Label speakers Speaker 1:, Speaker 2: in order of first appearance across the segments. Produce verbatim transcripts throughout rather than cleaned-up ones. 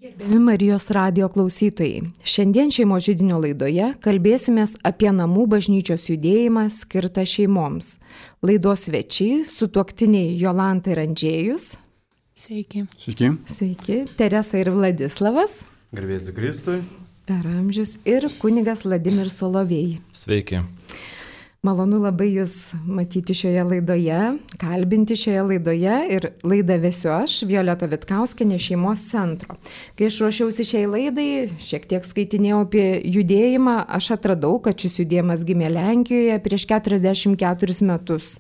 Speaker 1: Gerbiami Marijos radijo klausytojai, šiandien šeimos židinio laidoje kalbėsimės apie namų bažnyčios judėjimą skirtą šeimoms. Laidos svečiai sutuoktiniai Jolanta ir Andžėjus.
Speaker 2: Sveiki.
Speaker 3: Sveiki.
Speaker 1: Sveiki. Teresa ir Vladislavas.
Speaker 3: Garbėsiu Kristui.
Speaker 1: Per amžius. Ir kunigas Vladimiras Solovėjai.
Speaker 4: Sveiki.
Speaker 1: Malonu labai Jūs matyti šioje laidoje, kalbinti šioje laidoje ir laidą vesiu aš, Violeta Vitkauskienė, šeimos centro. Kai aš ruošiausi šiai laidai, šiek tiek skaitinėjau apie judėjimą, aš atradau, kad šis judėjimas gimė Lenkijoje prieš keturiasdešimt keturis metus.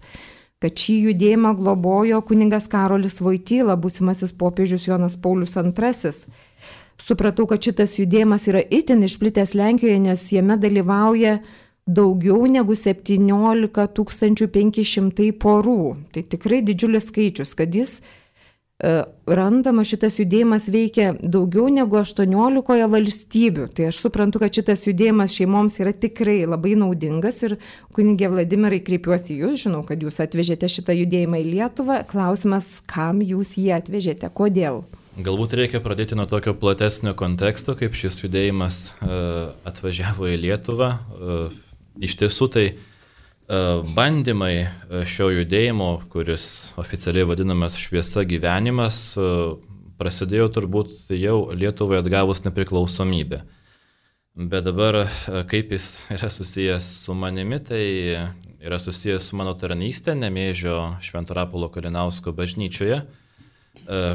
Speaker 1: Kad šį judėjimą globojo kunigas Karolis Voityla, būsimasis popiežius Jonas Paulius antrasis. Supratau, kad šitas judėjimas yra itin išplitęs Lenkijoje, nes jame dalyvauja daugiau negu septyniolika tūkstančių penki šimtai porų. Tai tikrai didžiulis skaičius, kad jis e, randama, šitas judėjimas veikia daugiau negu aštuoniolikoje valstybių. Tai aš suprantu, kad šitas judėjimas šeimoms yra tikrai labai naudingas ir kunigė Vladimirai, kreipiuosi Jūs, žinau, kad Jūs atvežėte šitą judėjimą į Lietuvą. Klausimas, kam Jūs jį atvežėte, kodėl?
Speaker 4: Galbūt reikia pradėti nuo tokio platesnio konteksto, kaip šis judėjimas e, atvažiavo į Lietuvą. E, Iš tiesų tai bandymai šio judėjimo, kuris oficialiai vadinamas Šviesa gyvenimas, prasidėjo turbūt jau Lietuvai atgavus nepriklausomybę. Bet dabar, kaip jis yra susijęs su manimi, tai yra susijęs su mano tarnystė Nemėžio Švento Rapolo Kalinausko bažnyčioje,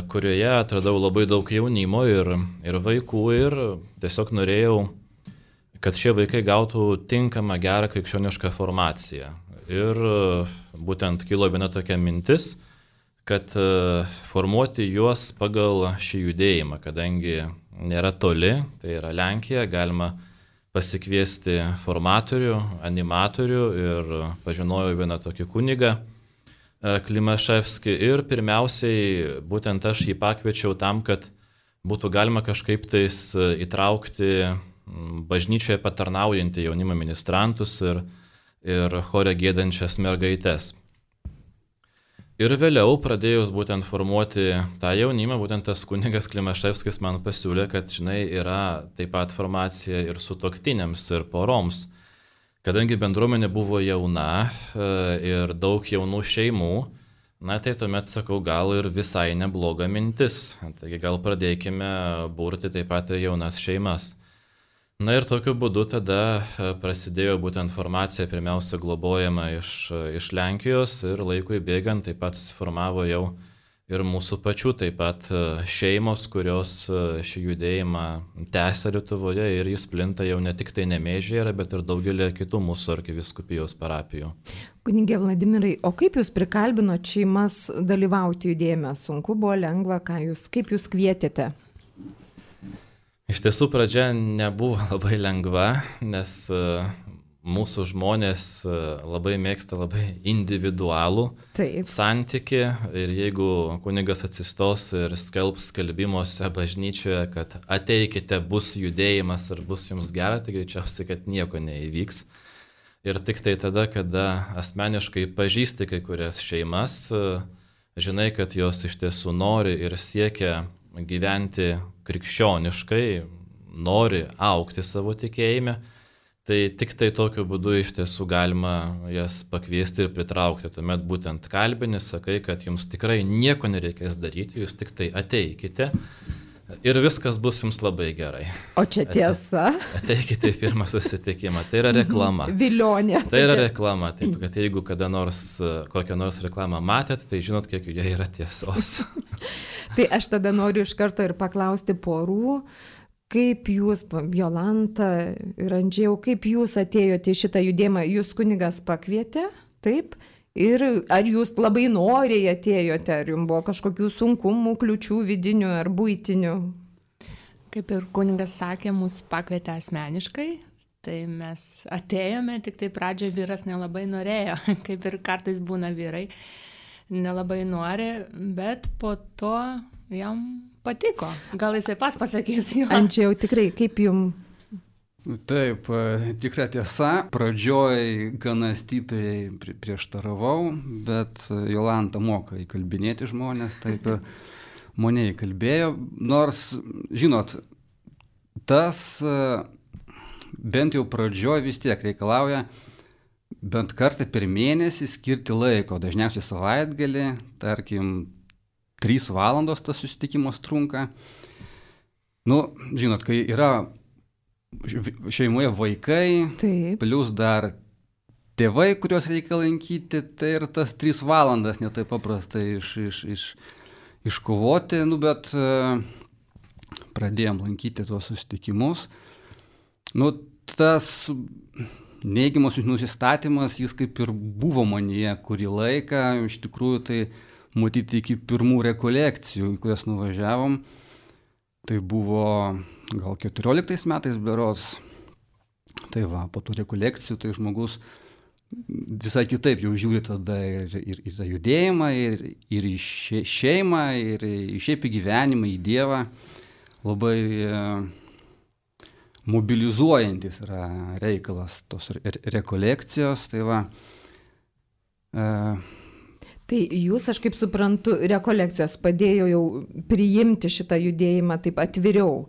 Speaker 4: kurioje atradau labai daug jaunimo ir, ir vaikų ir tiesiog norėjau, kad šie vaikai gautų tinkamą, gerą krikščionišką formaciją. Ir būtent kilo viena tokia mintis, kad formuoti juos pagal šį judėjimą, kadangi nėra toli, tai yra Lenkija, galima pasikviesti formatorių, animatorių ir pažinojau vieną tokį kunigą, Klimaševskį, ir pirmiausiai būtent aš jį pakviečiau tam, kad būtų galima kažkaip tais įtraukti bažnyčioje patarnaujantį jaunimą ministrantus ir, ir chore gėdančias mergaites. Ir vėliau pradėjus būtent formuoti tą jaunimą, būtent tas kunigas Klimaševskis man pasiūlė, kad, žinai, yra taip pat formacija ir sutuoktiniams, ir poroms. Kadangi bendruomenė buvo jauna ir daug jaunų šeimų, na tai tuomet sakau, gal ir visai nebloga mintis. Taigi gal pradėkime burti taip pat jaunas šeimas. Na ir tokiu būdu tada prasidėjo būtent formacija, pirmiausia globojama iš, iš Lenkijos ir laikui bėgant taip pat susiformavo jau ir mūsų pačių taip pat šeimos, kurios šį judėjimą tęsia Lietuvoje ir jis plinta jau ne tik tai Nemėžyje, bet ir daugelį kitų mūsų arkivyskupijos parapijų.
Speaker 1: Kunigė Vladimirai, o kaip Jūs prikalbinot šeimas dalyvauti judėjime? Sunku buvo, lengva, ką jūs, kaip Jūs kvietėte?
Speaker 4: Iš tiesų pradžia nebuvo labai lengva, nes mūsų žmonės labai mėgsta labai individualų Taip. Santykį ir jeigu kunigas atsistos ir skelbs skelbimuose bažnyčioje, kad ateikite, bus judėjimas ir bus jums gera, tai greičiausiai, kad nieko neįvyks. Ir tik tai tada, kada asmeniškai pažįsti kai kurias šeimas, žinai, kad jos iš tiesų nori ir siekia gyventi krikščioniškai, nori augti savo tikėjime, tai tik tai tokiu būdu iš tiesų galima jas pakviesti ir pritraukti. Tuomet būtent kalbini, sakai, kad jums tikrai nieko nereikės daryti, jūs tik tai ateikite ir viskas bus jums labai gerai.
Speaker 1: O čia tiesa?
Speaker 4: Ateikite į pirmą susitikimą, tai yra reklama.
Speaker 1: Vilionė.
Speaker 4: Tai yra reklama, taip, kad jeigu kada nors kokią nors reklamą matėt, tai žinot, kiek joje yra tiesos.
Speaker 1: Tai aš tada noriu iš karto ir paklausti porų, kaip Jūs, Jolanta ir Andžėjau, kaip Jūs atėjote į šitą judėjimą? Jūs kunigas pakvietė, taip? Ir ar Jūs labai noriai atėjote, ar Jums buvo kažkokių sunkumų, kliučių vidinių ar buitinių?
Speaker 2: Kaip ir kunigas sakė, mus pakvietė asmeniškai, tai mes atėjome, tik tai pradžioje vyras nelabai norėjo, kaip ir kartais būna vyrai. Nelabai nori, bet po to jam patiko. Gal jisai pas pasakys jo.
Speaker 1: Andžėjau, tikrai, kaip jums?
Speaker 3: Taip, tikra tiesa, pradžioj gana stipriai prieštaravau, bet Jolanta moka įkalbinėti žmonės, taip ir Monėjai kalbėjo, nors, žinot, tas bent jau pradžioj vis tiek reikalauja bent kartą per mėnesį skirti laiko, dažniausiai savaitgalį, tarkim, trys valandos tas susitikimas trunka. Nu, žinot, kai yra šeimoje vaikai,
Speaker 1: Taip.
Speaker 3: plus dar tėvai, kuriuos reikia lankyti, tai ir tas trys valandas netai paprastai iš, iš, iš, iškovoti, nu, bet uh, pradėjom lankyti tuos susitikimus. Nu, tas neigiamas nusistatymas, jis kaip ir buvo manyje kurį laiką, iš tikrųjų tai matyti iki pirmų rekolekcijų, į kurias nuvažiavom. Tai buvo gal keturioliktais metais berods. Tai va, po tų rekolekcijų tai žmogus visai kitaip jau žiūri tada ir, ir, ir tą judėjimą, ir, ir į šeimą, ir į šiaip į gyvenimą, į Dievą. Labai e, mobilizuojantis yra reikalas tos re, rekolekcijos. Tai va. E,
Speaker 1: Tai jūs, aš kaip suprantu, rekolekcijos padėjo jau priimti šitą judėjimą taip atviriau.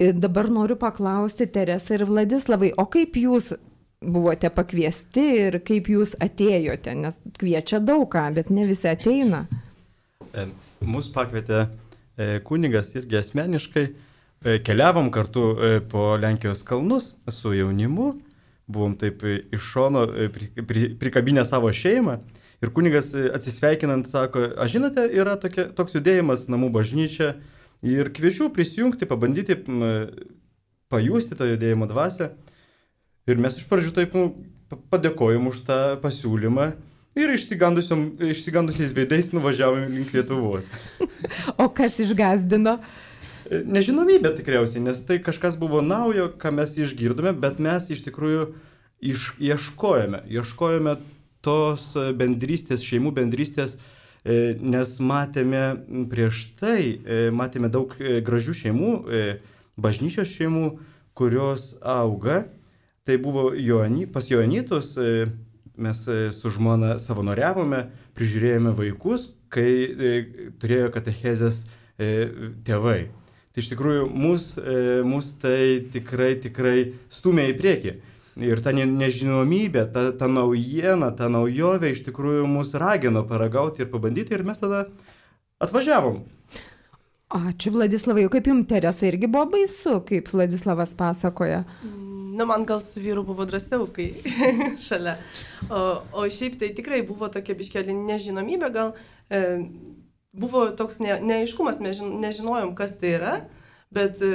Speaker 1: Ir dabar noriu paklausti Teresą ir Vladislavai, o kaip jūs buvote pakviesti ir kaip jūs atėjote, nes kviečia daug ką, bet ne visi ateina.
Speaker 5: Mūsų pakvietė kunigas irgi asmeniškai, keliavom kartu po Lenkijos kalnus su jaunimu, buvom taip iš šono prikabinę savo šeimą ir kunigas atsisveikinant sako, aš žinote, yra tokia, toks judėjimas namų bažnyčia ir kviečiu prisijungti, pabandyti pajusti tą judėjimo dvasią. Ir mes iš pradžių taip nu, padėkojom už tą pasiūlymą ir išsigandusiais veidais nuvažiavom link Lietuvos.
Speaker 1: O kas išgazdino?
Speaker 5: Nežinomybė tikriausiai, nes tai kažkas buvo naujo, ką mes išgirdome, bet mes iš tikrųjų iš, ieškojame, ieškojame tos bendrystės, šeimų bendrystės, nes matėme prieš tai, matėme daug gražių šeimų, bažnyčios šeimų, kurios auga. Tai buvo Joany, pas Joanytus, mes su žmona savanoriavome, prižiūrėjome vaikus, kai turėjo katechezės tėvai. Tai iš tikrųjų mus, mus tai tikrai, tikrai stumė į priekį. Ir ta nežinomybė, ta, ta naujiena, ta naujovė iš tikrųjų mus ragino paragauti ir pabandyti ir mes tada atvažiavom.
Speaker 1: Ačiū Vladislavai, kaip jums Teresa irgi buvo baisu, kaip Vladislavas pasakoja?
Speaker 6: Na, man gal su vyru buvo drąsiau, kai šalia. O, o šiaip tai tikrai buvo tokia biškelė nežinomybė, gal e, buvo toks ne, neaiškumas, mes žin, nežinojom, kas tai yra, bet e,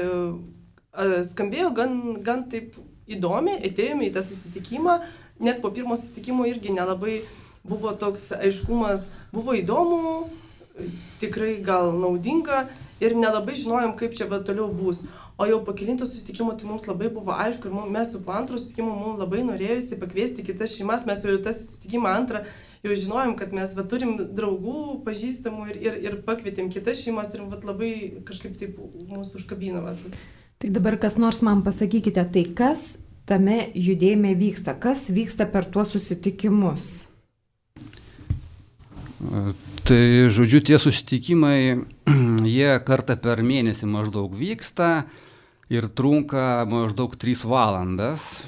Speaker 6: skambėjo gan, gan taip įdomiai, atėjome į tą susitikimą, net po pirmo susitikimo irgi nelabai buvo toks aiškumas, buvo įdomu, tikrai gal naudinga ir nelabai žinojom, kaip čia va toliau bus. O jau po kelinto susitikimo tai mums labai buvo aišku ir mes po antro susitikimo mums labai norėjusi pakviesti kitas šeimas, mes jau tą susitikimą antrą jau žinojom, kad mes va, turim draugų, pažįstamų ir, ir, ir pakvietėm kitas šeimas ir va, labai kažkaip taip mūsų užkabino. Va.
Speaker 1: Tai dabar kas nors man pasakykite, tai kas tame judėjime vyksta, kas vyksta per tuos susitikimus?
Speaker 3: Tai žodžiu, tie susitikimai, jie kartą per mėnesį maždaug vyksta ir trunka maždaug trys valandas,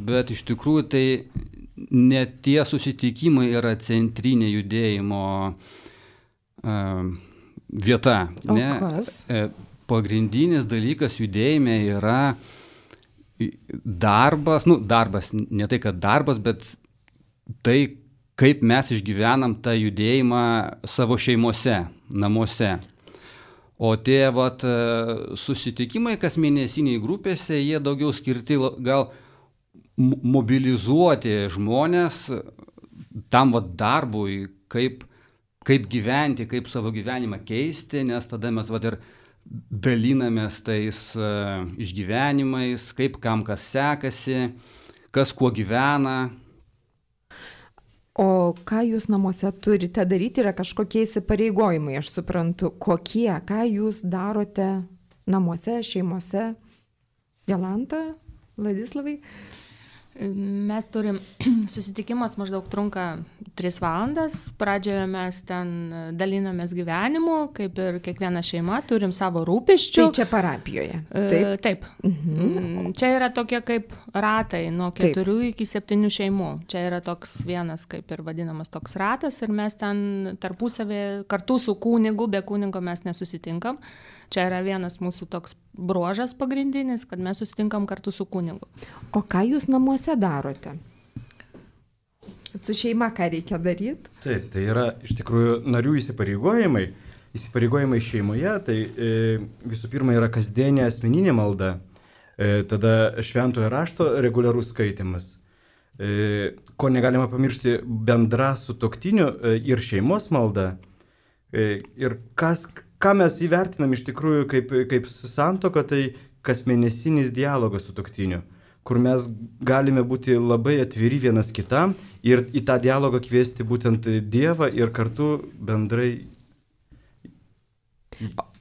Speaker 3: bet iš tikrųjų tai ne tie susitikimai yra centrinė judėjimo uh, vieta.
Speaker 1: O
Speaker 3: ne?
Speaker 1: kas?
Speaker 3: Pagrindinis dalykas judėjime yra darbas, nu darbas, ne tai kad darbas, bet tai, kaip mes išgyvenam tą judėjimą savo šeimose, namuose. O tie vat, susitikimai kas mėnesiniai grupėse, jie daugiau skirti gal mobilizuoti žmonės tam vat, darbui, kaip, kaip gyventi, kaip savo gyvenimą keisti, nes tada mes vat, ir dalinamės tais uh, išgyvenimais, kaip kam kas sekasi, kas kuo gyvena.
Speaker 1: O ką jūs namuose turite daryti, yra kažkokie įsipareigojimai, aš suprantu, kokie, ką jūs darote namuose, šeimose? Jolanta, Vladislavai?
Speaker 2: Mes turim, susitikimas maždaug trunka tris valandas, pradžioje mes ten dalinamės gyvenimu, kaip ir kiekviena šeima, turim savo rūpesčių.
Speaker 1: Tai čia parapijoje.
Speaker 2: Taip. E, taip. Mhm. Čia yra tokie kaip ratai, nuo keturių taip. Iki septynių šeimų. Čia yra toks vienas, kaip ir vadinamas toks ratas, ir mes ten tarpusavį kartu su kunigu, be kunigo mes nesusitinkam. Čia yra vienas mūsų toks bruožas pagrindinis, kad mes susitinkam kartu su kunigu.
Speaker 1: O ką jūs namuose darote? Su šeima ką reikia daryti?
Speaker 5: Taip, tai yra iš tikrųjų narių įsipareigojimai. Įsipareigojimai šeimoje, tai e, visų pirma yra kasdienė asmeninė malda, e, tada šventojo rašto reguliarus skaitimas. E, ko negalima pamiršti, bendra sutuoktinių e, ir šeimos malda. E, ir kas... Ką mes įvertinam iš tikrųjų kaip, kaip santuoka, tai kasmėnesinis dialogas su sutuoktiniu, kur mes galime būti labai atviri vienas kitam ir į tą dialogą kviesti būtent Dievą ir kartu bendrai.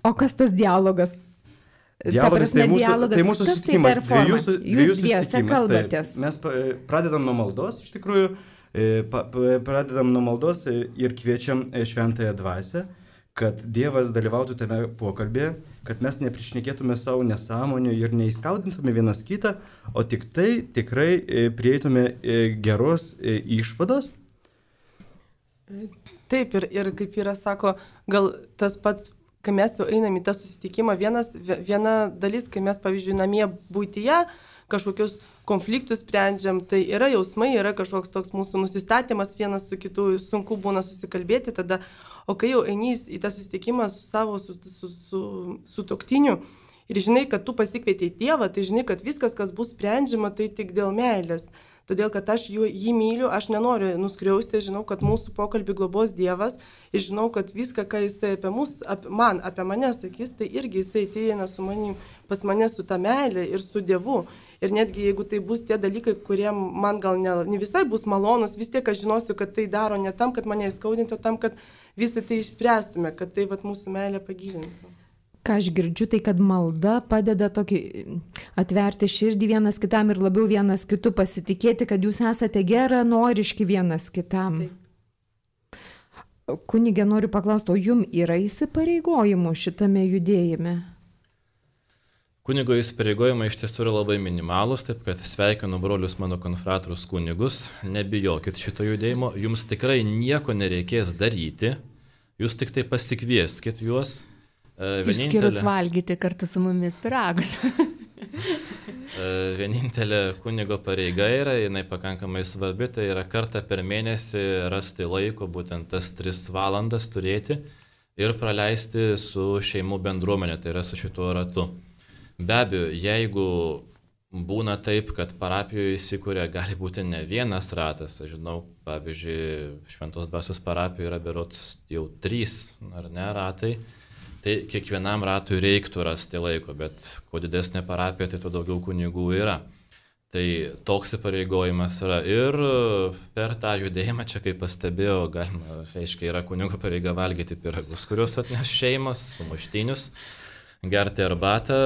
Speaker 1: O kas tas dialogas?
Speaker 5: Dialogas,
Speaker 1: prasme,
Speaker 5: tai mūsų,
Speaker 1: dialogas,
Speaker 5: tai mūsų
Speaker 1: kas tai per formą?
Speaker 5: Dviejų,
Speaker 1: Jūs dviese kalbatės.
Speaker 5: Tai mes pradedam nuo maldos, iš tikrųjų, pradedam nuo maldos ir kviečiam šventąją dvasią, kad Dievas dalyvautų tame pokalbėje, kad mes neprišnekėtume savo nesąmonių ir neįskaudintume vienas kitą, o tik tai tikrai prieitume geros išvados.
Speaker 6: Taip, ir, ir kaip yra sako, gal tas pats, kai mes jau einam į tą susitikimą, vienas, viena dalis, kai mes, pavyzdžiui, namie būtyje kažkokius konfliktus sprendžiam, tai yra jausmai, yra kažkoks toks mūsų nusistatymas vienas su kitu, sunku būna susikalbėti tada. O kai jau eini į tą susitikimą su savo sutuoktiniu ir žinai, kad tu pasikvietei Dievą, tai žinai, kad viskas, kas bus sprendžiama, tai tik dėl meilės. Todėl, kad aš jų, jį myliu, aš nenoriu nuskriausti, žinau, kad mūsų pokalbį globos Dievas ir žinau, kad viską, ką jisai apie mus, apie man, apie mane sakys, tai irgi jisai ateina su manim, pas mane su ta meilė ir su Dievu. Ir netgi jeigu tai bus tie dalykai, kurie man gal ne, ne visai bus malonus, vis tiek aš žinosiu, kad tai daro ne tam, kad mane įskaudintų, tam, kad visą tai išspręstume, kad tai vat, mūsų meilę pagilintų.
Speaker 1: Ką aš girdžiu, tai kad malda padeda tokį atverti širdį vienas kitam ir labiau vienas kitu pasitikėti, kad jūs esate geranoriški vienas kitam. Taip. Kunige, noriu paklausti, o jum yra įsipareigojimų šitame judėjime?
Speaker 4: Kunigo įsipareigojimai iš tiesų yra labai minimalus, taip kad sveikinu brolius mano konfratrus kunigus, nebijokit šito judėjimo, jums tikrai nieko nereikės daryti, jūs tik tai pasikvieskit juos.
Speaker 2: Vienintelė... Išskyrus valgyti kartu su mumis pyragus.
Speaker 4: Vienintelė kunigo pareiga yra, jinai pakankamai svarbi, tai yra kartą per mėnesį rasti laiko, būtent tas tris valandas turėti ir praleisti su šeimų bendruomenė, tai yra su šituo ratu. Be abejo, jeigu būna taip, kad parapijoje įsikūrė, gali būti ne vienas ratas, aš žinau, pavyzdžiui, Šventos Dvasios parapijoje yra berods jau trys, ar ne, ratai, tai kiekvienam ratui reiktų rasti laiko, bet kuo didesnė parapija, tai tuo daugiau kunigų yra. Tai toks įpareigojimas yra ir per tą judėjimą, čia kaip pastebėjau, galima, aiškiai, yra kunigo pareiga valgyti pyragus, kuriuos atneš šeimos, sumuštinius, gerti arbatą,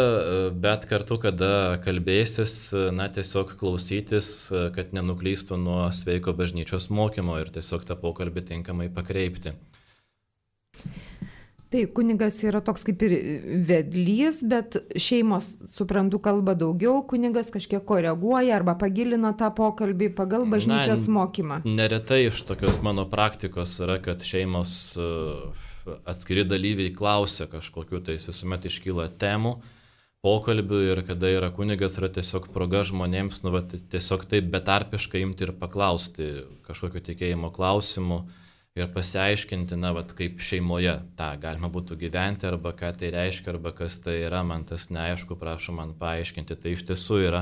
Speaker 4: bet kartu, kada kalbėsis, na, tiesiog klausytis, kad nenuklystų nuo sveiko bažnyčios mokymo ir tiesiog tą pokalbį tinkamai pakreipti.
Speaker 1: Tai kunigas yra toks kaip ir vedlys, bet šeimos, suprantu, kalba daugiau, kunigas kažkiek koreguoja arba pagilina tą pokalbį pagal bažnyčios na, mokymą.
Speaker 4: Neretai iš tokios mano praktikos yra, kad šeimos atskiri dalyviai klausia kažkokiu, tai visuomet iškyla temų, pokalbių ir kada yra kunigas, yra tiesiog proga žmonėms, nu, va, tiesiog taip betarpiškai imti ir paklausti kažkokiu tikėjimo klausimu ir pasiaiškinti, na, va, kaip šeimoje tą galima būtų gyventi, arba ką tai reiškia, arba kas tai yra, man tas neaišku, prašau man paaiškinti. Tai iš tiesų yra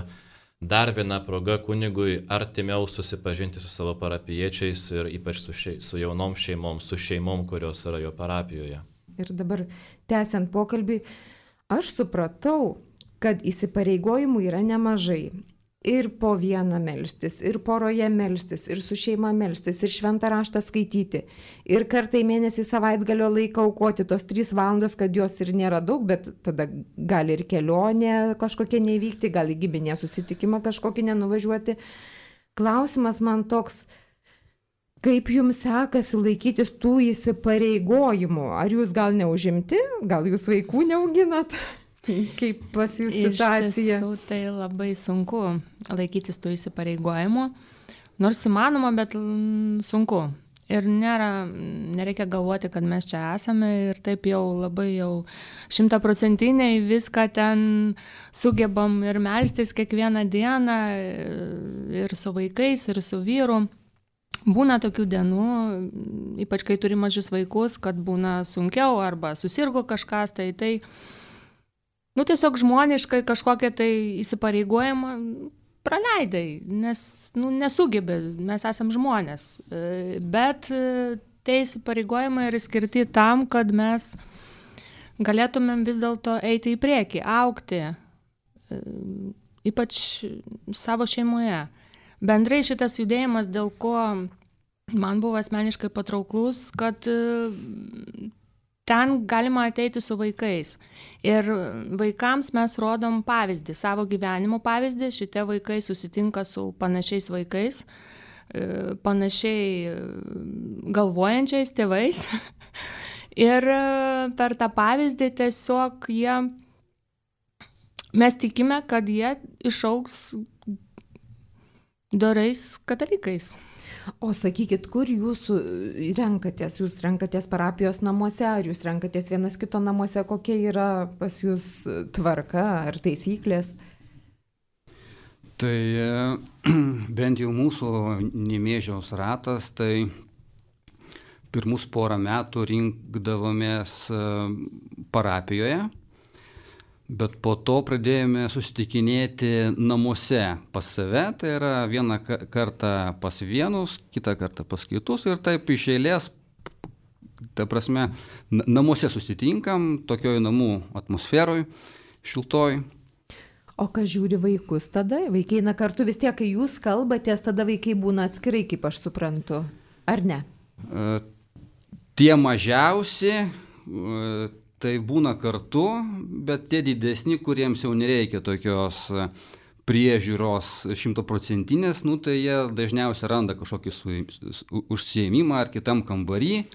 Speaker 4: dar viena proga kunigui artimiau susipažinti su savo parapiečiais ir ypač su, šei, su jaunom šeimom, su šeimom, kurios yra jo parapijoje.
Speaker 1: Ir dabar tęsiant pokalbį, aš supratau, kad įsipareigojimų yra nemažai. ir po vieną melstis, ir poroje melstis, ir su šeima melstis, ir šventą raštą skaityti, ir kartą į mėnesį savaitgalio laiką aukoti tos trys valandos, kad jos ir nėra daug, bet tada gali ir kelionė kažkokia nevykti, gali giminė susitikimą kažkokį nenuvažiuoti. Klausimas man toks, kaip jums sekasi laikytis tų įsipareigojimų? Ar jūs gal neužimti, gal jūs vaikų neauginat? Kaip pas jūs situacija?
Speaker 2: Iš tiesų, tai labai sunku laikytis tų įsipareigojimų, nors įmanoma, bet sunku. Ir nėra, nereikia galvoti, kad mes čia esame ir taip jau labai jau šimtaprocentiniai viską ten sugebam ir melstis kiekvieną dieną ir su vaikais, ir su vyru. Būna tokių dienų, ypač kai turi mažus vaikus, kad būna sunkiau arba susirgo kažkas, tai tai Nu, tiesiog žmoniškai kažkokią tai įsipareigojimą praleidai, nes nu, nesugebė, mes esam žmonės. Bet tie įsipareigojimai yra skirti tam, kad mes galėtumėm vis dėlto eiti į priekį, augti, ypač savo šeimoje. Bendrai šitas judėjimas, dėl ko man buvo asmeniškai patrauklus, kad ten galima ateiti su vaikais. Ir vaikams mes rodom pavyzdį, savo gyvenimo pavyzdį. Šitie vaikai susitinka su panašiais vaikais, panašiai galvojančiais tėvais. Ir per tą pavyzdį tiesiog jie, mes tikime, kad jie išaugs dorais katalikais.
Speaker 1: O sakykit, kur jūs renkatės? Jūs renkatės parapijos namuose, ar jūs renkatės vienas kito namuose? Kokia yra pas jūs tvarka ar taisyklės?
Speaker 3: Tai bent jau mūsų Nemėžiaus ratas, tai pirmus porą metų rinkdavomės parapijoje, bet po to pradėjome susitikinėti namuose pas save, tai yra vieną kartą pas vienus, kitą kartą pas kitus ir taip iš eilės, ta prasme, namuose susitinkam, tokioj namų atmosferoj, šiltoj.
Speaker 1: O kas žiūri vaikus tada? Vaikai eina kartu, vis tiek, kai jūs kalbatės, tada vaikai būna atskirai, kaip aš suprantu, ar ne?
Speaker 3: Tie mažiausi tai būna kartu, bet tie didesni, kuriems jau nereikia tokios priežiūros šimtaprocentinės, nu, tai jie dažniausiai randa kažkokį su, su, užsiėmimą ar kitam kambarį.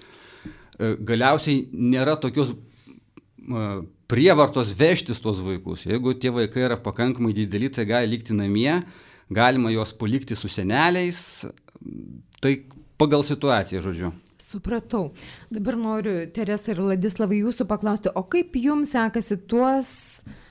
Speaker 3: Galiausiai nėra tokios uh, prievartos vežtis tos vaikus. Jeigu tie vaikai yra pakankamai dideli, tai gali likti namie, galima juos palikti su seneliais, tai pagal situaciją, žodžiu.
Speaker 1: Supratau. Dabar noriu, Teresa ir Ladislavai, jūsų paklausti, o kaip jums sekasi tuos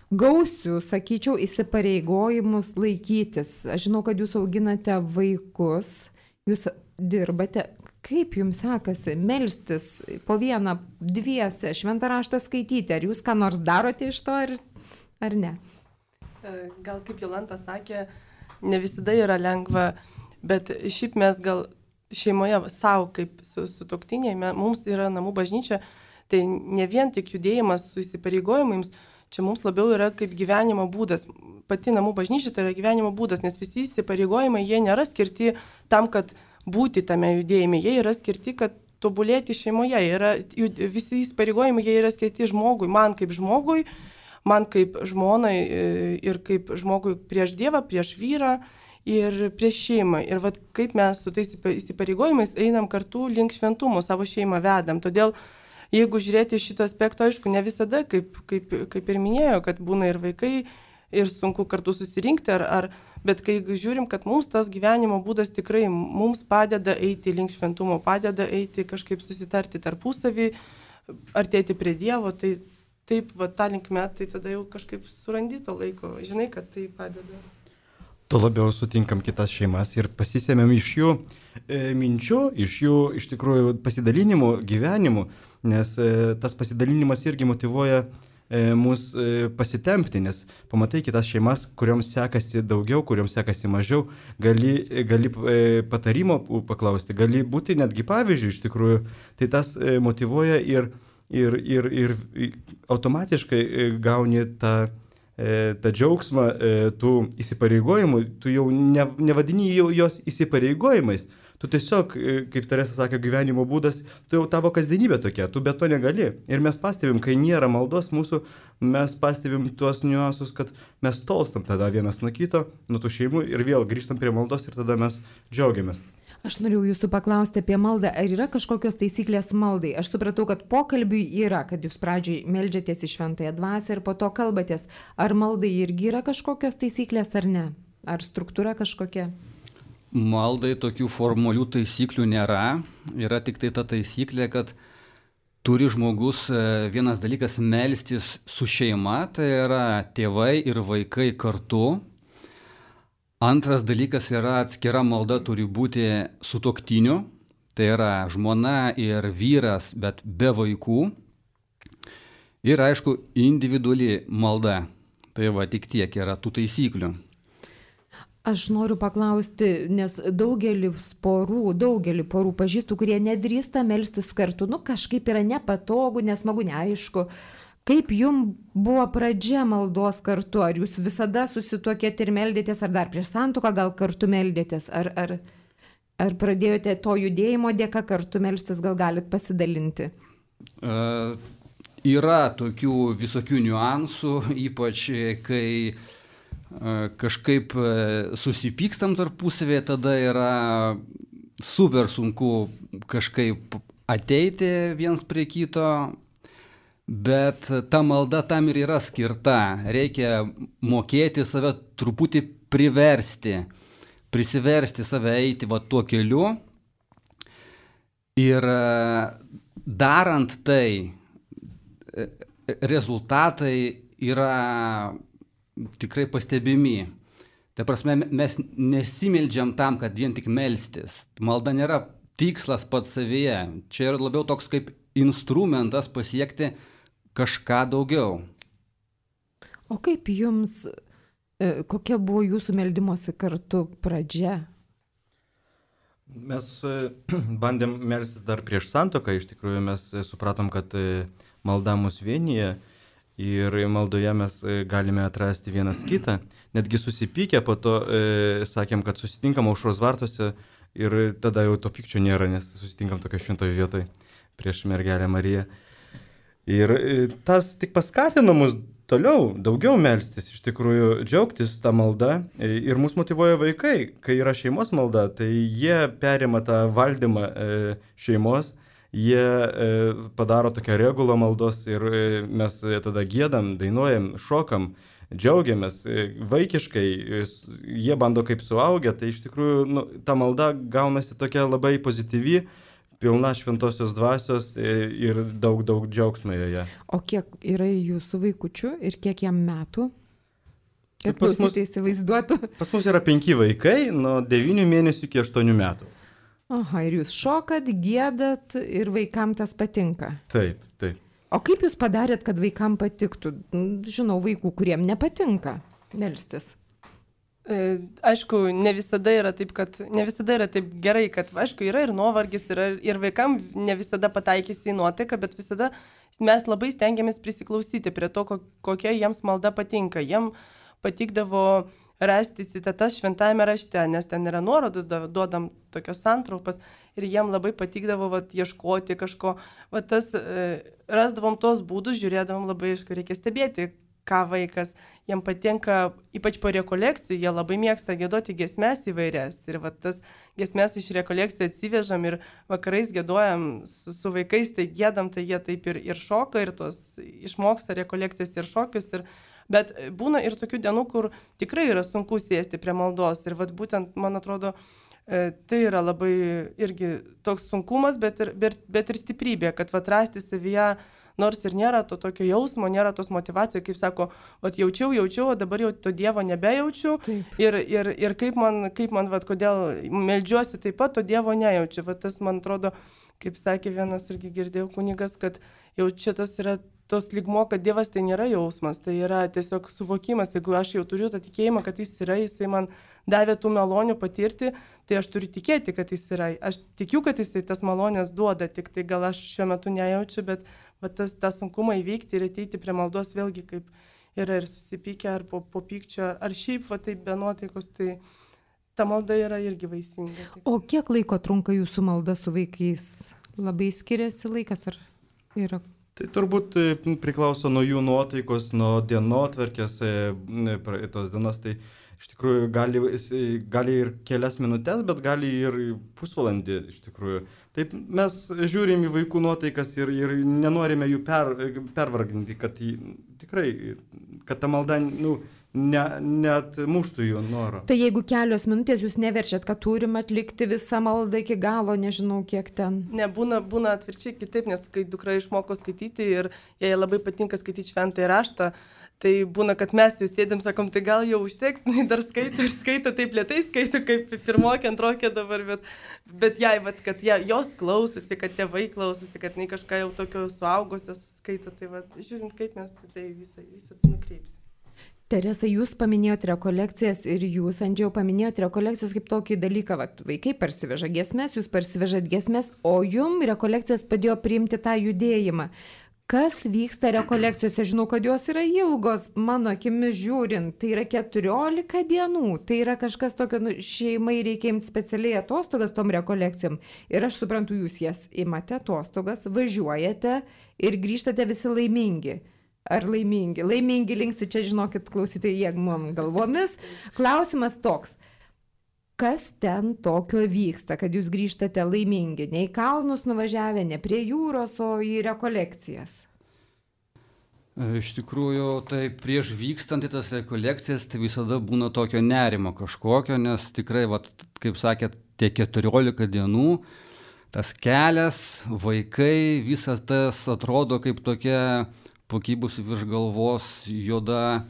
Speaker 1: gausius, sakyčiau, įsipareigojimus laikytis? Aš žinau, kad jūs auginate vaikus, jūs dirbate. Kaip jums sekasi melstis po vieną, dviese, šventą raštą skaityti? Ar jūs ką nors darote iš to, ar, ar ne?
Speaker 6: Gal kaip Jolanta sakė, ne visada yra lengva, bet šiaip mes gal šeimoje savo kaip su, su toktiniai, mums yra namų bažnyčia, tai ne vien tik judėjimas su įsipareigojimais, čia mums labiau yra kaip gyvenimo būdas. Pati namų bažnyčia tai yra gyvenimo būdas, nes visi įsipareigojimai, jie nėra skirti tam, kad būti tame judėjime, jie yra skirti, kad tobulėti šeimoje. Yra, visi įsipareigojimai, jie yra skirti žmogui, man kaip žmogui, man kaip žmonai ir kaip žmogui prieš Dievą, prieš vyrą. Ir prieš šeimą. Ir vat, kaip mes su tais įsipareigojimais einam kartu link šventumo, savo šeimą vedam. Todėl, jeigu žiūrėti šito aspekto, aišku, ne visada, kaip, kaip, kaip ir minėjo, kad būna ir vaikai, ir sunku kartu susirinkti, ar, ar, bet kai žiūrim, kad mums tas gyvenimo būdas tikrai mums padeda eiti link šventumo, padeda eiti kažkaip susitarti tarpusavį, artėti prie Dievo, tai taip, va, tą linkme, tai tada jau kažkaip surandi to laiko, žinai, kad tai padeda.
Speaker 5: Tuo labiau sutinkam kitas šeimas ir pasisėmėm iš jų e, minčių, iš jų iš tikrųjų pasidalinimų, gyvenimų, nes e, tas pasidalinimas irgi motyvuoja e, mus e, pasitempti, nes pamatai kitas šeimas, kurioms sekasi daugiau, kurioms sekasi mažiau, gali, gali e, patarimo paklausti, gali būti netgi pavyzdžių iš tikrųjų, tai tas e, motyvuoja ir, ir, ir, ir automatiškai e, gauni tą tą džiaugsmą, tų įsipareigojimų, tu jau ne, nevadini jau jos įsipareigojimais. Tu tiesiog, kaip Teresa sakė, gyvenimo būdas, tu jau tavo kasdienybė tokia, tu be to negali. Ir mes pastebim, kai nėra maldos mūsų, mes pastebim tuos niuansus, kad mes tolstam tada vienas nuo kito, nuo tų šeimų ir vėl grįžtam prie maldos ir tada mes džiaugiamės.
Speaker 1: Aš norėjau jūsų paklausti apie maldą, ar yra kažkokios taisyklės maldai? Aš supratau, kad pokalbiui yra, kad jūs pradžiai meldžiatės į šventąją dvasią ir po to kalbatės. Ar maldai irgi yra kažkokios taisyklės ar ne? Ar struktūra kažkokia?
Speaker 3: Maldai tokių formalių taisyklių nėra. Yra tik tai ta taisyklė, kad turi žmogus vienas dalykas melstis su šeima, tai yra tėvai ir vaikai kartu. Antras dalykas yra atskira malda turi būti sutuoktiniu, tai yra žmona ir vyras, bet be vaikų. Ir aišku, individuali malda. Tai va tik tiek yra tų taisyklių.
Speaker 1: Aš noriu paklausti, nes daugelis porų, daugelį porų pažįstu, kurie nedrįsta melstis kartu. Nu, kažkaip yra nepatogu, nesmagu, neaišku. Kaip jums buvo pradžia maldos kartu? Ar jūs visada susituokėte ir meldėtės, ar dar prieš santuoką gal kartu meldėtės? Ar, ar, ar pradėjote to judėjimo dėka kartu melstis, gal galit pasidalinti?
Speaker 3: Uh, yra tokių visokių niuansų, ypač kai kažkaip susipykstam tarpusavėje, tada yra super sunku kažkaip ateiti viens prie kito, bet ta malda tam ir yra skirta. Reikia mokėti save truputį priversti, prisiversti save eiti va tuo keliu ir darant tai rezultatai yra tikrai pastebimi. Tai prasme, mes nesimeldžiam tam, kad vien tik melstis. Malda nėra tikslas pats savyje. Čia yra labiau toks kaip instrumentas pasiekti kažką daugiau.
Speaker 1: O kaip jums, kokia buvo jūsų meldimosi kartu pradžia?
Speaker 5: Mes bandėm melstis dar prieš santuoką, iš tikrųjų mes supratom, kad malda mus vienyje. Ir maldoje mes galime atrasti vienas kitą. Netgi susipykę po to e, sakėm, kad susitinkam aušros vartuose ir tada jau to pykčio nėra, nes susitinkam tokio šventoje vietoje prieš mergelę Mariją. Ir e, tas tik paskatino mus toliau, daugiau melstis, iš tikrųjų džiaugtis tą maldą. E, ir mus motyvuoja vaikai. Kai yra šeimos malda, tai jie perima tą valdymą e, šeimos. Jie e, padaro tokią regulą maldos ir e, mes tada giedam, dainuojam, šokam, džiaugiamės e, vaikiškai, e, jie bando kaip suaugę, tai iš tikrųjų nu, ta malda gaunasi tokia labai pozityvi, pilna šventosios dvasios e, ir daug, daug džiaugsmo joje.
Speaker 1: O kiek yra jūsų vaikučių ir kiek jam metų? Kad
Speaker 5: pas mus,
Speaker 1: klausytojai įsivaizduotų.
Speaker 5: Pas mus yra penki vaikai, nuo devynių mėnesių iki aštuonių metų.
Speaker 1: Aha, ir jūs šokat, giedat ir vaikam tas patinka.
Speaker 5: Taip, taip.
Speaker 1: O kaip jūs padarėt, kad vaikam patiktų? Žinau, vaikų, kuriem nepatinka melstis.
Speaker 6: E, aišku, ne visada yra taip, kad ne visada yra taip gerai, kad, aišku, yra ir nuovargis, yra, ir vaikam ne visada pataikysi į nuotaiką, bet visada mes labai stengiamės prisiklausyti prie to, kokia jiems malda patinka. Jiem patikdavo rasti citatas šventajame rašte, nes ten yra nuorodus, duodam tokios santraupas ir jiem labai patikdavo vat, ieškoti kažko. Vat tas, e, rasdavom tos būdus, žiūrėdavom labai, aišku, reikia stebėti, ką vaikas. Jiem patinka, ypač po rekolekcijų, jie labai mėgsta giedoti giesmes įvairias. Ir vat, tas giesmes iš rekolekcijų atsivežam ir vakarais giedojam su, su vaikais, tai giedam, tai jie taip ir, ir šoka, ir tos išmoksta rekolekcijas ir šokius. Ir bet būna ir tokių dienų, kur tikrai yra sunku sėsti prie maldos. Ir vat būtent, man atrodo, tai yra labai irgi toks sunkumas, bet ir, bet, bet ir stiprybė, kad vat rasti savyje, nors ir nėra to tokio jausmo, nėra tos motyvacijos, kaip sako, vat jaučiau, jaučiau, o dabar jau to Dievo nebejaučiu. Taip. Ir, ir, ir kaip man, kaip man vat, kodėl meldžiuosi taip pat, to Dievo nejaučiu. Vat tas, man atrodo, kaip sakė vienas irgi girdėjau kunigas, kad jau čia tas yra tos lygmo, kad Dievas tai nėra jausmas, tai yra tiesiog suvokimas. Jeigu aš jau turiu tą tikėjimą, kad jis yra, jisai man davė tų malonių patirti, tai aš turiu tikėti, kad jis yra. Aš tikiu, kad jisai tas malonės duoda, tik tai gal aš šiuo metu nejaučiu, bet va, tas, tą sunkumą įveikti ir ateiti prie maldos vėlgi kaip yra ir susipykę, ar po, po pykčio, ar šiaip va taip be nuotaikos, tai ta malda yra irgi vaisinga.
Speaker 1: O kiek laiko trunka jūsų malda su vaikais? Labai skiriasi laikas, ar yra?
Speaker 5: Tai turbūt priklauso nuo jų nuotaikos, nuo dienotvarkės tos dienos. Tai iš tikrųjų gali, gali ir kelias minutės, bet gali ir pusvalandį iš tikrųjų. Taip mes žiūrim į vaikų nuotaikas ir, ir nenorime jų per, pervarginti, kad jį, tikrai, kad ta malda nu, ne, net muštų jų norą.
Speaker 1: Tai jeigu kelios minutės jūs neverčiat, kad turim atlikti visą maldą iki galo, nežinau kiek ten.
Speaker 6: Nebūna, būna atvirkščiai kitaip, nes kai dukra išmoko skaityti ir jai labai patinka skaityti šventąjį raštą, tai būna, kad mes jau sėdėm, sakom, tai gal jau užteks, jinai dar skaito ir skaito, taip lėtai skaito, kaip pirmokė, antrokė dabar, bet, bet jai, vat, kad ja, jos klausosi, kad tėvai klausosi, kad jinai kažką jau tokio suaugusios skaito, tai vat, žiūrint, kaip mes tai visą, visą tai nukreipsim.
Speaker 1: Teresa, jūs paminėjote rekolekcijas ir jūs, Andžiau, paminėjote rekolekcijas kaip tokį dalyką, vat, vaikai parsiveža giesmes, jūs parsivežat giesmes, o jum rekolekcijas padėjo priimti tą judėjimą. Kas vyksta rekolekcijose? Žinau, kad jos yra ilgos, mano akimis žiūrint, tai yra keturiolika dienų, tai yra kažkas tokio, nu, šeimai reikia imti specialiai atostogas tom rekolekcijom. Ir aš suprantu, jūs jas imate atostogas, važiuojate ir grįžtate visi laimingi. Ar laimingi? Laimingi linksi, čia žinokit, klausytojai, jie mum galvomis. Klausimas toks. Kas ten tokio vyksta, kad jūs grįžtate laimingi? Ne į kalnus nuvažiavę, ne prie jūros, o į rekolekcijas?
Speaker 3: Iš tikrųjų, tai prieš vykstant į tas rekolekcijas, tai visada būna tokio nerimo kažkokio, nes tikrai, vat, kaip sakėt, tie keturiolika dienų, tas kelias, vaikai, visas tas atrodo kaip tokia pakibusi virš galvos juoda,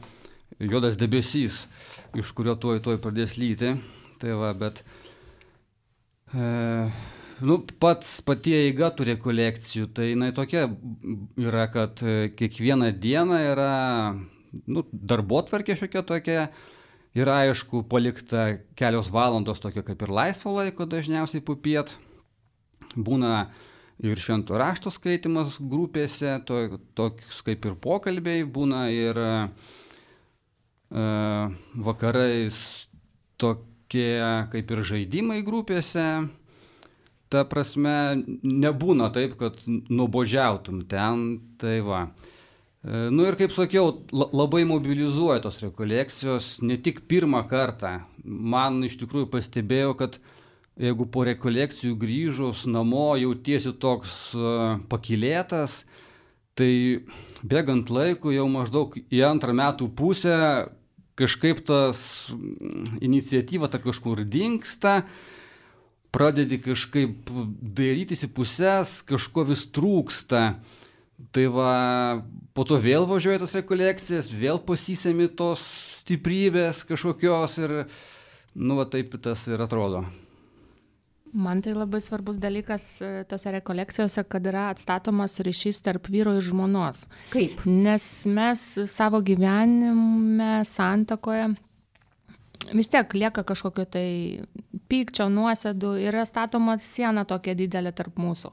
Speaker 3: juodas debesys, iš kurio tuoj tuoj pradės lyti. Tai va, bet e, nu, pats patie eiga tų rekolekcijų, tai jinai tokia yra, kad kiekvieną dieną yra nu, darbotvarkė šiokia tokia, yra aišku palikta kelios valandos tokio kaip ir laisvo laiko, dažniausiai pupiet, būna ir švento rašto skaitimas grupėse, to, toks kaip ir pokalbiai, būna ir e, vakarais tokie kaip ir žaidimai grupėse, ta prasme, nebūna taip, kad nuobodžiautum ten, tai va. E, nu ir kaip sakiau, labai mobilizuoja tos rekolekcijos, ne tik pirmą kartą. Man iš tikrųjų pastebėjau, kad jeigu po rekolekcijų grįžus namo jautiesi toks uh, pakylėtas, tai bėgant laiku jau maždaug į antrą metų pusę kažkaip tas iniciatyva ta kažkur dingsta, pradedi kažkaip dairytis į pusės, kažko vis trūksta. Tai va, po to vėl važiuoja tas rekolekcijas, vėl pasisemi tos stiprybės kažkokios ir, nu, va taip tas ir atrodo.
Speaker 2: Man tai labai svarbus dalykas tose rekolekcijose, kad yra atstatomas ryšys tarp vyro ir žmonos.
Speaker 1: Kaip?
Speaker 2: Nes mes savo gyvenime, santakoje vis tiek lieka kažkokio tai pykčio, nuosėdų, yra statoma siena tokia didelė tarp mūsų.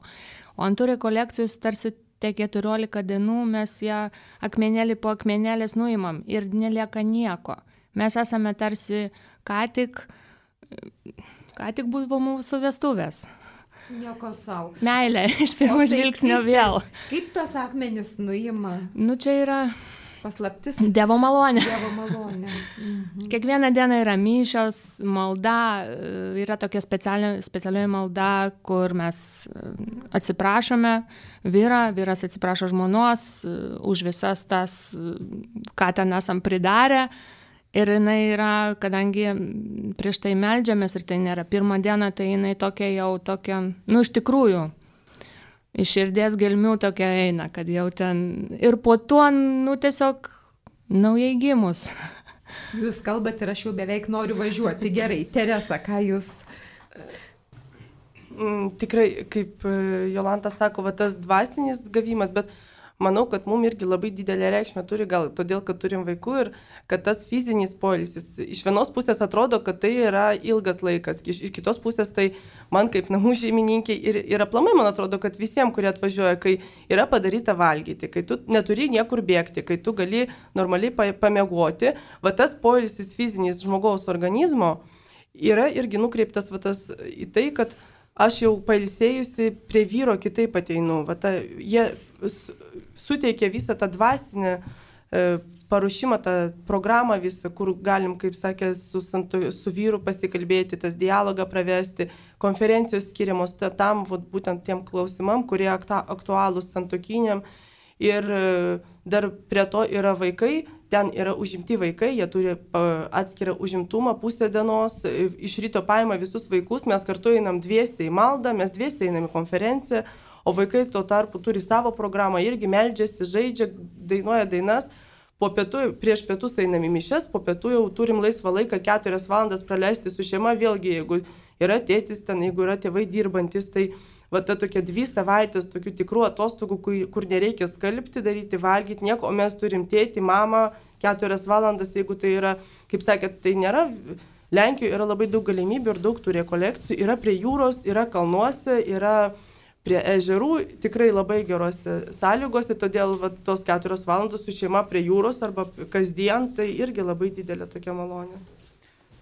Speaker 2: O ant tų rekolekcijų tarsi tie keturiolika dienų mes ją akmenėlį po akmenėlės nuimam ir nelieka nieko. Mes esame tarsi ką tik... Ką tik buvo mūsų vestuvės.
Speaker 1: Nieko savo.
Speaker 2: Meilė, iš pirmo žvilgsnio vėl.
Speaker 1: Kaip tos akmenis nuima?
Speaker 2: Nu, čia yra
Speaker 1: paslaptis.
Speaker 2: Dievo malonė.
Speaker 1: Dievo malonė. Mhm.
Speaker 2: Kiekvieną dieną yra mišios, malda, yra tokia specialioji malda, kur mes atsiprašome vyrą, vyras atsiprašo žmonos už visas tas, ką ten esam pridarę. Ir jinai yra, kadangi prieš tai meldžiamės ir tai nėra pirmą dieną, tai jinai tokia jau tokia, nu iš tikrųjų, iš širdies gelmių tokia eina, kad jau ten ir po to, nu tiesiog naujai gimus.
Speaker 1: Jūs kalbate ir aš jau beveik noriu važiuoti. Gerai, Teresa, ką jūs...
Speaker 6: Tikrai, kaip Jolanta sako, va, tas dvasinis gavimas, bet manau, kad mums irgi labai didelė reikšmė turi, gal todėl, kad turim vaikų ir kad tas fizinis poilsis iš vienos pusės atrodo, kad tai yra ilgas laikas, iš, iš kitos pusės tai man kaip namų šeimininkiai ir, ir aplamai man atrodo, kad visiems, kurie atvažiuoja, kai yra padaryta valgyti, kai tu neturi niekur bėgti, kai tu gali normaliai pamiegoti, va tas poilsis fizinis žmogaus organizmo yra irgi nukreiptas va tas į tai, kad aš jau pailsėjusi prie vyro kitaip ateinu. Va ta, jie suteikia visą tą dvasinę e, paruošimą, tą programą visą, kur galim, kaip sakė, su, su vyru pasikalbėti, tas dialogą pravesti, konferencijos skiriamos tam, vat, būtent tiem klausimam, kurie aktualūs santuokiniam. Ir dar prie to yra vaikai, ten yra užimti vaikai, jie turi atskirą užimtumą pusę dienos, iš ryto paima visus vaikus, mes kartu einam dviese į maldą, mes dviese einam į konferenciją, o vaikai tuo tarpu turi savo programą, irgi meldžiasi, žaidžia, dainuoja dainas, po pietų, prieš pietus einam į mišes, po pietų jau turim laisvą laiką keturias valandas praleisti su šeima, vėlgi, jeigu yra tėtis ten, jeigu yra tėvai dirbantis, tai va ta tokia dvi savaitės tokių tikrų atostogų, kur, kur nereikia skalbti, daryti, valgyti nieko, o mes turim tėtį, mamą, keturias valandas, jeigu tai yra, kaip sakėt, tai nėra, Lenkijoje yra labai daug galimybių ir daug tų rekolekcijų, yra prie jūros, yra kalnuose, yra prie ežerų, tikrai labai gerose sąlygose, todėl va, tos keturios valandos su šeima prie jūros arba kasdien, tai irgi labai didelė tokia malonė.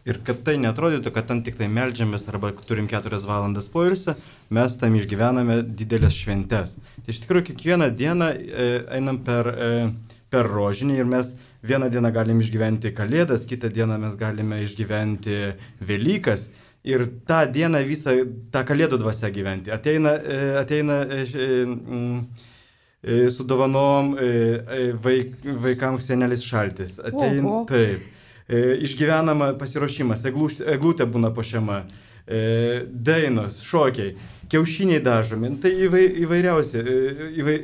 Speaker 5: Ir kad tai netrodytų, kad ten tik tai meldžiamės arba turim keturias valandas poilsio, mes tam išgyvename didelės šventes. Tai iš tikrųjų kiekvieną dieną e, einam per, e, per rožinį ir mes vieną dieną galim išgyventi Kalėdas, kitą dieną mes galime išgyventi Velykas ir tą dieną visą tą Kalėdų dvasią gyventi. Ateina, e, ateina e, e, su dovanom e, vaik, vaikams senelis šaltis. Ateina, taip. E, išgyvenama pasiruošimas, eglutė būna puošiama, e, dainos, šokiai, kiaušiniai dažomi, tai įvai, įvairiausi, įvai,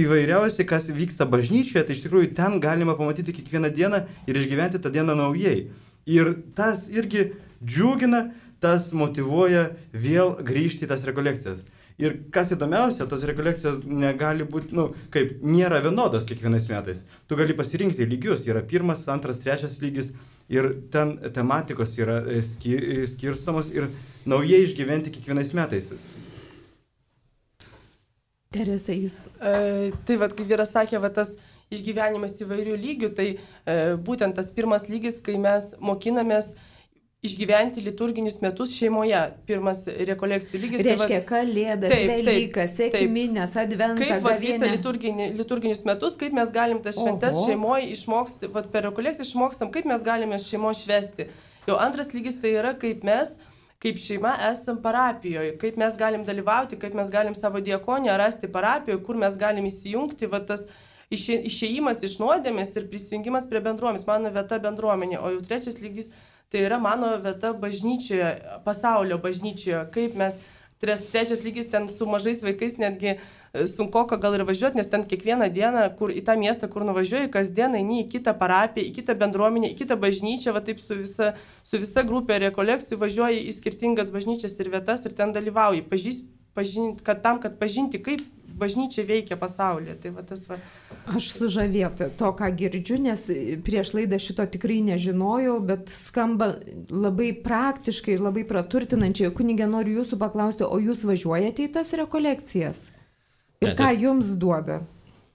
Speaker 5: įvairiausi, kas vyksta bažnyčioje, tai iš tikrųjų ten galima pamatyti kiekvieną dieną ir išgyventi tą dieną naujai. Ir tas irgi džiugina, tas motyvuoja vėl grįžti į tas rekolekcijas. Ir kas įdomiausia, tos rekolekcijos negali būti, nu, kaip nėra vienodos kiekvienais metais. Tu gali pasirinkti lygius, yra pirmas, antras, trečias lygis ir ten tematikos yra skirstomos ir naujai išgyventi kiekvienais metais.
Speaker 1: Teresa, jūs.
Speaker 6: E, tai vad, kaip vyras sakė, va, tas išgyvenimas įvairių lygių, tai e, būtent tas pirmas lygis, kai mes mokinamės išgyventi liturginius metus šeimoje. Pirmas rekolekcijų lygis.
Speaker 1: Reiškia, Kalėdas, taip, Velykas, Sekminės, Adventą,
Speaker 6: Gavėnią. Kaip
Speaker 1: visą
Speaker 6: liturginį, liturginius metus, kaip mes galim tas šventes šeimoje išmokti, vat, per rekolekciją išmokstam, kaip mes galime šeimoje švesti. Jau antras lygis tai yra, kaip mes, kaip šeima esam parapijoje, kaip mes galim dalyvauti, kaip mes galim savo diakoniją rasti parapijoje, kur mes galim įsijungti, va, tas išė, išėjimas iš nuodėmės ir prisijungimas prie bendruomenės, mano vieta bendruomenė. O jau trečias lygis tai yra mano vieta bažnyčioje, pasaulio bažnyčioje, kaip mes, trečias lygis ten su mažais vaikais netgi sunkoka gal ir važiuoti, nes ten kiekvieną dieną, kur į tą miestą, kur nuvažiuoji, kasdien eini į kitą parapiją, į kitą bendruomenę, į kitą bažnyčią, va taip su visa, su visa grupė rekolekcijų važiuoji į skirtingas bažnyčias ir vietas ir ten dalyvauji, pažįst, pažint, kad tam, kad pažinti, kaip bažnyčia veikia pasaulyje. Tai va tas va.
Speaker 1: Aš sužavėta to, ką girdžiu, nes prieš laidą šito tikrai nežinojau, bet skamba labai praktiškai ir labai praturtinančiai. Kunige, noriu jūsų paklausti, o jūs važiuojate į tas rekolekcijas? Ir ne, ką ties... jums duoda?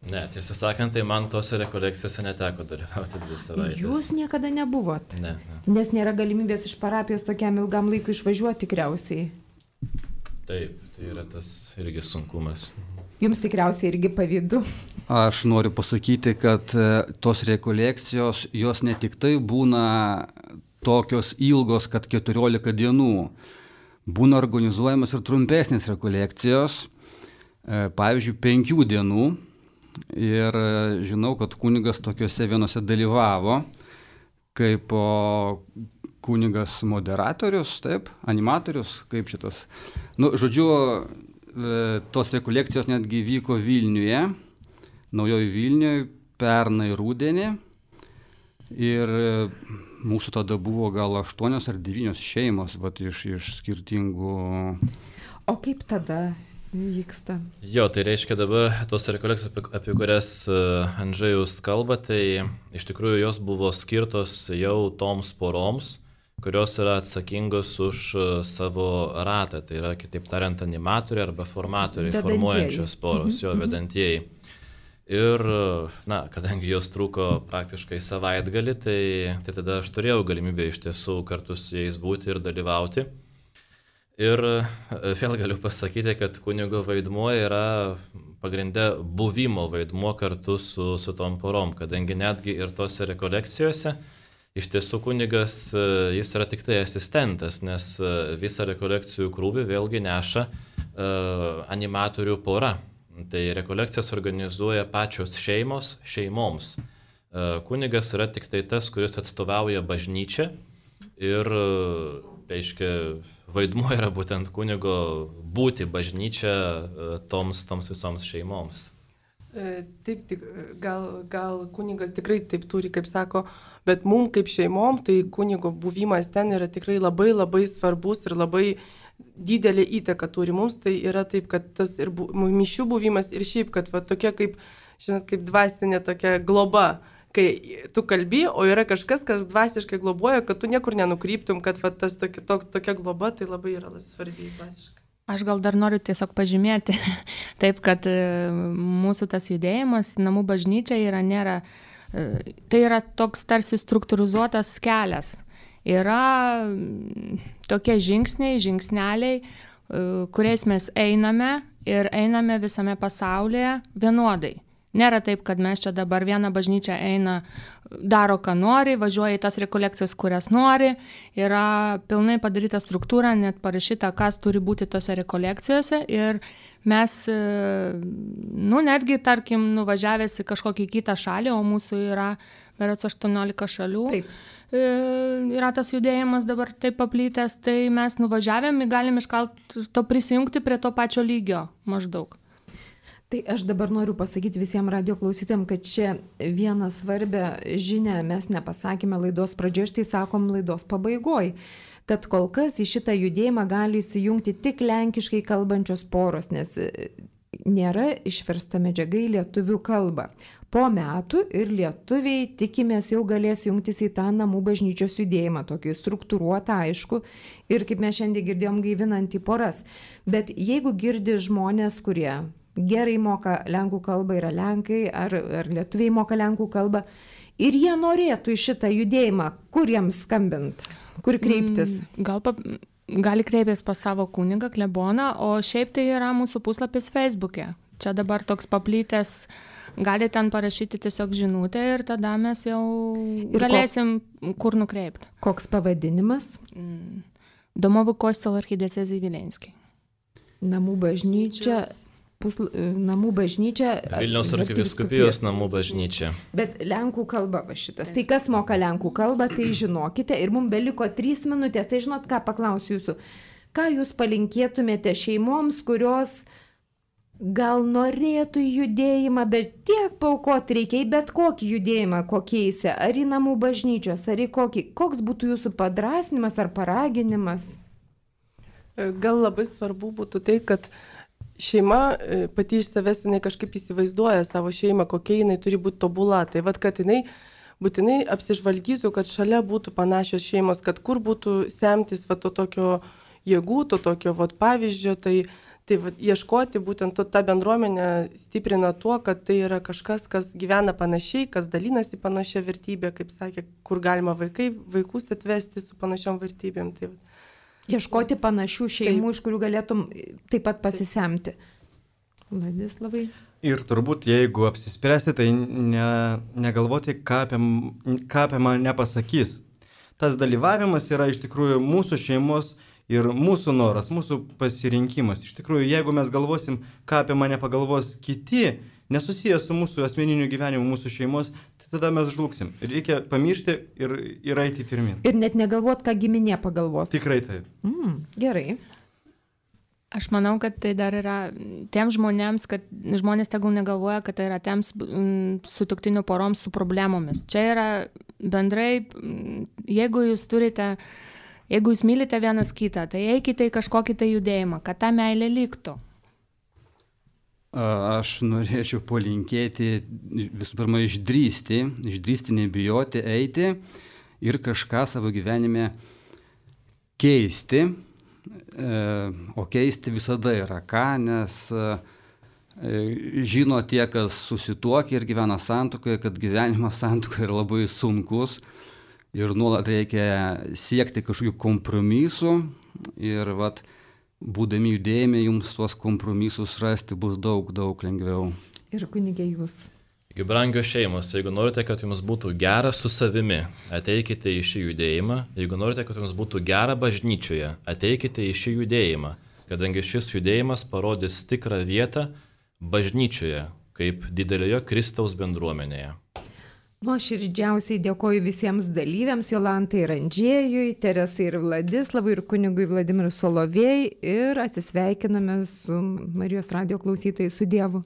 Speaker 4: Ne, tiesą sakant, tai man tose rekolekcijose neteko dalyvauti dvi savaitės.
Speaker 1: Jūs niekada nebuvot?
Speaker 4: Ne, ne.
Speaker 1: Nes nėra galimybės iš parapijos tokiam ilgam laikui išvažiuoti tikriausiai.
Speaker 4: Taip, tai yra tas irgi sunkumas.
Speaker 1: Jums tikriausiai irgi pavydu.
Speaker 3: Aš noriu pasakyti, kad tos rekolekcijos, jos ne tik tai būna tokios ilgos, kad keturiolika dienų. Būna organizuojamas ir trumpesnės rekolekcijos, pavyzdžiui, penkių dienų. Ir žinau, kad kunigas tokiuose vienose dalyvavo, kaip kunigas moderatorius, taip, animatorius, kaip šitas. Nu, žodžiu, tos rekolekcijos netgi vyko Vilniuje, Naujoji Vilniuje, pernai rudenį. Ir mūsų tada buvo gal aštuonios ar devynios šeimos vat, iš, iš skirtingų.
Speaker 1: O kaip tada vyksta.
Speaker 4: Jo, tai reiškia dabar tos rekolekcijos, apie, apie kurias Andžejus kalba, tai iš tikrųjų jos buvo skirtos jau toms poroms, kurios yra atsakingos už savo ratą, tai yra, kitaip tariant, animatoriai arba formatoriai, vedantieji. Formuojančios poros, mhm. jo vedantieji. Ir, na, kadangi jos trūko praktiškai savaitgalį, tai, tai tada aš turėjau galimybę iš tiesų kartu su jais būti ir dalyvauti. Ir vėl galiu pasakyti, kad kunigo vaidmuo yra pagrinde buvimo vaidmuo kartu su, su tom porom, kadangi netgi ir tose rekolekcijose iš tiesų kunigas, jis yra tik tai asistentas, nes visą rekolekcijų krūvį vėlgi neša uh, animatorių pora. Tai rekolekcijas organizuoja pačios šeimos šeimoms. Kunigas yra tik tai tas, kuris atstovauja bažnyčią ir, reiškia, vaidmuo yra būtent kunigo būti bažnyčia toms, toms visoms šeimoms.
Speaker 6: Taip, tik, gal, gal kunigas tikrai taip turi, kaip sako, bet mums kaip šeimom, tai kunigo buvimas ten yra tikrai labai labai svarbus ir labai didelė įtaka turi mums, tai yra taip, kad tas ir bu, mišių buvimas ir šiaip, kad va, tokia kaip, žinot, kaip dvasinė tokia globa, kai tu kalbi, o yra kažkas, kas dvasiškai globoja, kad tu niekur nenukryptum, kad va, tas tokia, toks, tokia globa, tai labai yra svarbi dvasiškai.
Speaker 2: Aš gal dar noriu tiesiog pažymėti, taip, kad mūsų tas judėjimas, namų bažnyčia yra nėra, tai yra toks tarsi struktūrizuotas kelias. Yra tokie žingsniai, žingsneliai, kuriais mes einame ir einame visame pasaulyje vienodai. Nėra taip, kad mes čia dabar vieną bažnyčią eina, daro ką nori, važiuoja į tas rekolekcijas, kurias nori, yra pilnai padaryta struktūra, net parašyta, kas turi būti tose rekolekcijose ir mes, nu, netgi, tarkim, nuvažiavęs į kažkokį kitą šalį, o mūsų yra berods aštuoniolika šalių. Taip. Yra tas judėjimas dabar taip paplytęs, tai mes nuvažiavėm ir galim iškalt to prisijungti prie to pačio lygio maždaug.
Speaker 1: Tai aš dabar noriu pasakyti visiems radio klausytėm, kad čia vieną svarbę žinią mes nepasakėme laidos pradžioje, štai sakom laidos pabaigoj, kad kol kas į šitą judėjimą gali įsijungti tik lenkiškai kalbančios poros, nes nėra išversta medžiaga į lietuvių kalbą. Po metų ir lietuviai, tikimės, jau galės jungtis į tą namų bažnyčios judėjimą, tokį struktūruotą, aišku, ir kaip mes šiandien girdėjom, gaivinantį poras. Bet jeigu girdi žmonės, kurie gerai moka lenkų kalbą, yra lenkai, ar, ar lietuviai moka lenkų kalbą, ir jie norėtų į šitą judėjimą, kur jiems skambint, kur kreiptis?
Speaker 2: Gal pa... Gali kreiptis pas savo kunigą, kleboną, o šiaip tai yra mūsų puslapis Facebook'e. Čia dabar toks paplytęs, gali ten parašyti tiesiog žinutę ir tada mes jau ir galėsim ko... kur nukreipti.
Speaker 1: Koks pavadinimas?
Speaker 2: Domovų Kostelo archidecezai Vilenskiai.
Speaker 1: Namų bažnyčia... Pusl... Namų bažnyčia.
Speaker 4: Vilniaus arkivyskupijos namų bažnyčia.
Speaker 1: Bet lenkų kalba va šitas. Tai kas moka lenkų kalbą, tai žinokite. Ir mums beliko trys minutės. Tai žinot, ką paklausiu jūsų. Ką jūs palinkėtumėte šeimoms, kurios gal norėtų į judėjimą, bet tiek paaukoti reikia į bet kokį judėjimą, kokiaise, ar į namų bažnyčios, ar į kokį. Koks būtų jūsų padrasinimas ar paraginimas?
Speaker 6: Gal labai svarbu būtų tai, kad šeima pati iš savęs jinai kažkaip įsivaizduoja savo šeimą, kokia jinai turi būti tobula. Tai vad, kad jinai būtinai apsižvalgytų, kad šalia būtų panašios šeimos, kad kur būtų semtis va, to tokio jėgų, to tokio va, pavyzdžio. Tai, tai va, ieškoti būtent to, tą bendruomenę stiprina tuo, kad tai yra kažkas, kas gyvena panašiai, kas dalinasi panašia vertybė, kaip sakė, kur galima vaikai, vaikus atvesti su panašiom vertybėm. Tai,
Speaker 1: Ieškoti panašių šeimų, taip, iš kurių galėtum taip pat pasisemti. Vladislavai.
Speaker 5: Ir turbūt, jeigu apsispręsti, tai ne, negalvoti, ką apie, ką apie mane pasakys. Tas dalyvavimas yra iš tikrųjų mūsų šeimos ir mūsų noras, mūsų pasirinkimas. Iš tikrųjų, jeigu mes galvosim, ką apie mane pagalvos kiti, nesusijęs su mūsų asmeniniu gyvenimu, mūsų šeimos, tai tada mes žlugsim. Reikia pamiršti ir, ir eiti pirmin.
Speaker 1: Ir net negalvot, ką giminė pagalvos.
Speaker 5: Tikrai taip.
Speaker 1: Mm, gerai.
Speaker 2: Aš manau, kad tai dar yra tiems žmonėms, kad žmonės tegul negalvoja, kad tai yra tiems sutuoktinių poroms su problemomis. Čia yra bendrai, jeigu jūs turite, jeigu jūs mylite vienas kitą, tai eikite į kažkokį tai judėjimą, kad ta meilė liktų.
Speaker 3: aš norėčiau palinkėti visų pirma išdrysti, išdrysti, nebijoti, eiti ir kažką savo gyvenime keisti. O keisti visada yra ką, nes žino tie, kas susituokia ir gyvena santuokoje, kad gyvenimas santuokoje yra labai sunkus ir nuolat reikia siekti kažkokių kompromisų ir vat, būdami judėjime jums tuos kompromisus rasti bus daug, daug lengviau.
Speaker 1: Ir kunigė jūs.
Speaker 4: Taigi, brangios šeimos, jeigu norite, kad jums būtų gera su savimi, ateikite į šį judėjimą. Jeigu norite, kad jums būtų gera bažnyčioje, ateikite į šį judėjimą, kadangi šis judėjimas parodys tikrą vietą bažnyčioje, kaip didelėje Kristaus bendruomenėje.
Speaker 1: Nuoširdžiausiai dėkoju visiems dalyviams, Jolantai ir Andžėjui, Teresai ir Vladislavui ir kunigui Vladimirui Solovėjai ir atsisveikiname su Marijos radijo klausytojais su Dievu.